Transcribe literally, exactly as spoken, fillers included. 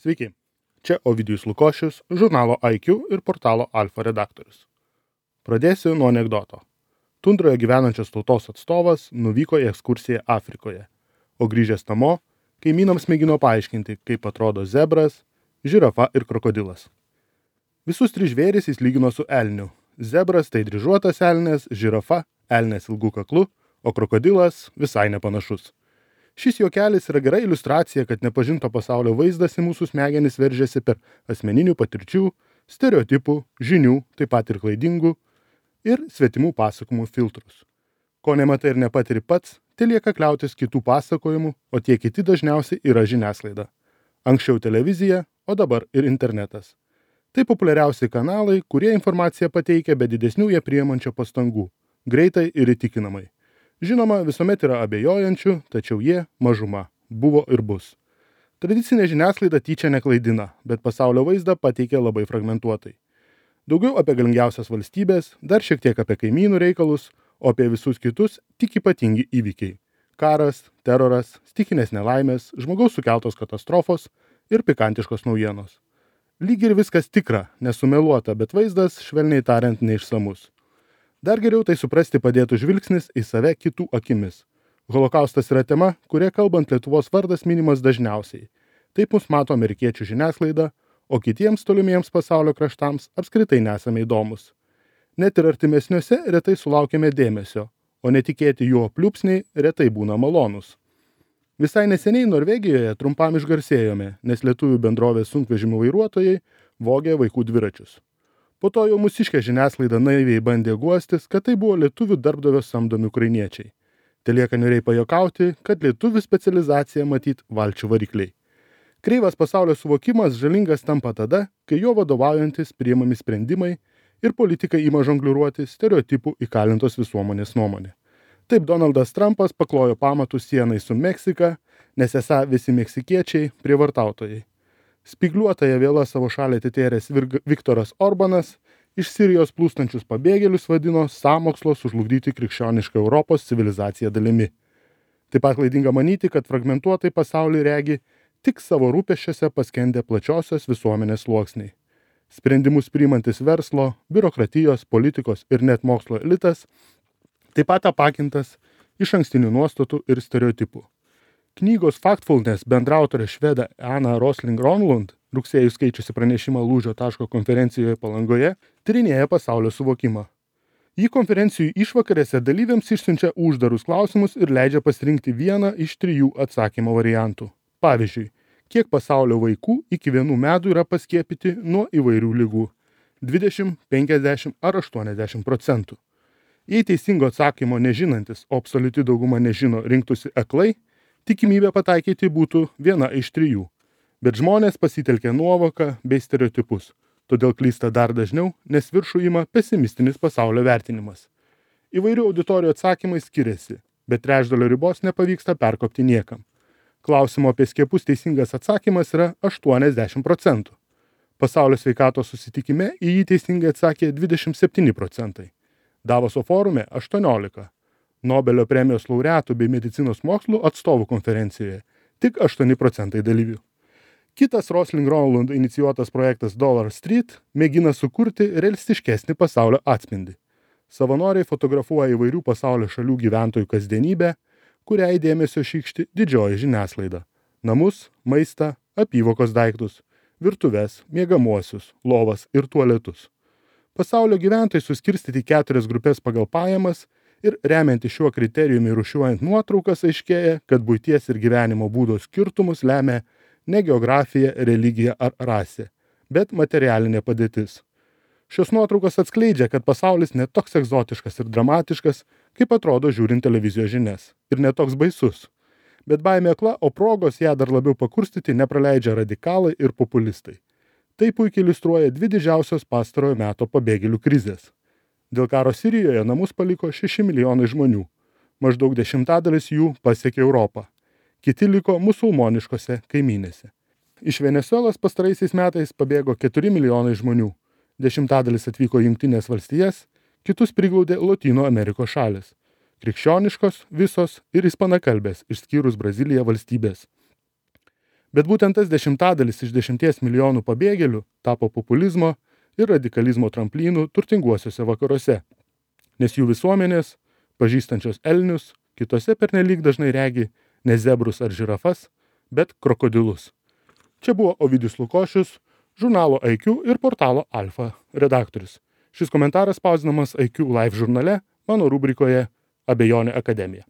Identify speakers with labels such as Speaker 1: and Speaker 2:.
Speaker 1: Sveiki, čia Ovidijus Lukošius, žurnalo I Q ir portalo Alfa redaktorius. Pradėsiu nuo anekdoto. Tundroje gyvenančios tautos atstovas nuvyko į ekskursiją Afrikoje, o grįžęs namo, kaimynams mėgino paaiškinti, kaip atrodo zebras, žirafa ir krokodilas. Visus tris žvėris jis lygino su elniu. Zebras tai dryžuotas elnias, žirafa elnias ilgų kaklu, o krokodilas visai nepanašus. Šis juokelis yra gera iliustracija, kad nepažinto pasaulio vaizdas į mūsų smegenis veržiasi per asmeninių patirčių, stereotipų, žinių, taip pat ir klaidingų ir svetimų pasakojimų filtrus. Ko nematai ir nepatiri pats, tai lieka kliautis kitų pasakojimų, o tie kiti dažniausiai yra žiniasklaida. Anksčiau televizija, o dabar ir internetas. Tai populiariausi kanalai, kurie informaciją pateikia be didesnių jie priimančio pastangų, greitai ir įtikinamai. Žinoma, visuomet yra abejojančių, tačiau jie mažuma, buvo ir bus. Tradicinė žiniasklaida tyčia neklaidina, bet pasaulio vaizdą pateikia labai fragmentuotai. Daugiau apie galingiausias valstybės, dar šiek tiek apie kaimynų reikalus, o apie visus kitus tik ypatingi įvykiai. Karas, teroras, stichinės nelaimės, žmogaus sukeltos katastrofos ir pikantiškos naujienos. Lyg ir viskas tikra, nesumeluota, bet vaizdas, švelniai tariant, neišsamus. Dar geriau tai suprasti padėtų žvilgsnis į save kitų akimis. Holokaustas yra tema, kuria kalbant Lietuvos vardas minimas dažniausiai. Taip mus mato amerikiečių žiniasklaida, o kitiems tolimiems pasaulio kraštams apskritai nesame įdomus. Net ir artimesniuose retai sulaukiame dėmesio, o netikėti juo pliūpsniai retai būna malonus. Visai neseniai Norvegijoje trumpam išgarsėjome, nes lietuvių bendrovės sunkvežimių vairuotojai vogė vaikų dviračius. Po to jau mūsiškė žiniasklaida naiviai bandė guostis, kad tai buvo lietuvių darbdavio samdomi ukrainiečiai. Telieka niūriai pajuokauti, kad lietuvių specializacija matyt valčių varikliai. Kreivas pasaulio suvokimas žalingas tampa tada, kai jo vadovaujantis priimami sprendimai ir politikai ima žongliruoti stereotipų įkalintos visuomenės nuomonė. Taip Donaldas Trumpas paklojo pamatus sienai su Meksika, nes esą visi meksikiečiai prievartautojai. Spygliuotąją vėlą savo šalį atitėręs Viktoras Orbanas iš Sirijos plūstančius pabėgėlius vadino sąmokslo sužlugdyti krikščionišką Europos civilizaciją dalimi. Taip pat klaidinga manyti, kad fragmentuotai pasaulį regi tik savo rūpesčiuose paskendę plačiosios visuomenės sluoksniai. Sprendimus priimantis verslo, biurokratijos, politikos ir net mokslo elitas taip pat apakintas iš ankstinių nuostatų ir stereotipų. Knygos Factfulness bendraautorė švedė Ana Rosling-Ronlund, rugsėjų skaičiusi pranešimą Lūžio taško konferencijoje Palangoje, tyrinėja pasaulio suvokimą. Ji konferencijų išvakarėse dalyviams išsiunčia uždarus klausimus ir leidžia pasirinkti vieną iš trijų atsakymo variantų. Pavyzdžiui, kiek pasaulio vaikų iki vienų metų yra paskiepyti nuo įvairių ligų – dvidešimt, penkiasdešimt ar aštuoniasdešimt procentų. Jei teisingo atsakymo nežinantis, o absoliuti dauguma nežino, rinktųsi aklai, tikimybė pataikyti būtų viena iš trijų, bet žmonės pasitelkia nuovoką bei stereotipus, todėl klysta dar dažniau, nes viršų ima pesimistinis pasaulio vertinimas. Įvairių auditorijų atsakymai skiriasi, bet trečdalio ribos nepavyksta perkopti niekam. Klausimo apie skiepus teisingas atsakymas yra aštuoniasdešimt procentų. Pasaulio sveikatos susitikime į jį teisingai atsakė dvidešimt septyni procentai. Davoso forume aštuoniolika. Nobelio premijos laureatų bei medicinos mokslų atstovų konferencijoje tik aštuoni procentai dalyvių. Kitas Rosling-Ronlund inicijuotas projektas Dollar Street mėgina sukurti realistiškesnį pasaulio atspindį. Savanoriai fotografuoja įvairių pasaulio šalių gyventojų kasdienybę, kuriai dėmesio šykšti didžioji žiniasklaida. Namus, maistą, apyvokos daiktus, virtuves, miegamuosius, lovas ir tualetus. Pasaulio gyventojai suskirstyti keturias grupės pagal pajamas ir remiantis šiuo kriterijumi rūšiuojant nuotraukas aiškėja, kad buities ir gyvenimo būdo skirtumus lemia ne geografija, religija ar rasė, bet materialinė padėtis. Šios nuotraukos atskleidžia, kad pasaulis ne toks egzotiškas ir dramatiškas, kaip atrodo žiūrint televizijos žinias, ir ne toks baisus. Bet baimė akla, o progos ją dar labiau pakurstyti nepraleidžia radikalai ir populistai. Tai puikiai iliustruoja dvi didžiausios pastarojo meto pabėgėlių krizės. Dėl karo Sirijoje namus paliko šeši milijonai žmonių. Maždaug dešimtadalis jų pasiekė Europą. Kiti liko musulmoniškose kaimynėse. Iš Venesuelos pastaraisiais metais pabėgo keturi milijonai žmonių. Dešimtadalis atvyko į Jungtines valstijas, kitus priglaudė Lotynų Amerikos šalis. Krikščioniškos, visos ir ispanakalbės, išskyrus Braziliją valstybės. Bet būtent tas dešimtadalis iš dešimties milijonų pabėgėlių tapo populizmo ir radikalizmo tramplynų turtinguosiuose vakaruose, nes jų visuomenės, pažįstančios elnius, kitose pernelyg dažnai regi ne zebrus ar žirafas, bet krokodilus. Čia buvo Ovidijus Lukošius, žurnalo I Q ir portalo Alfa redaktorius. Šis komentaras spausdinamas I Q Live žurnale, mano rubrikoje Abejonė akademija.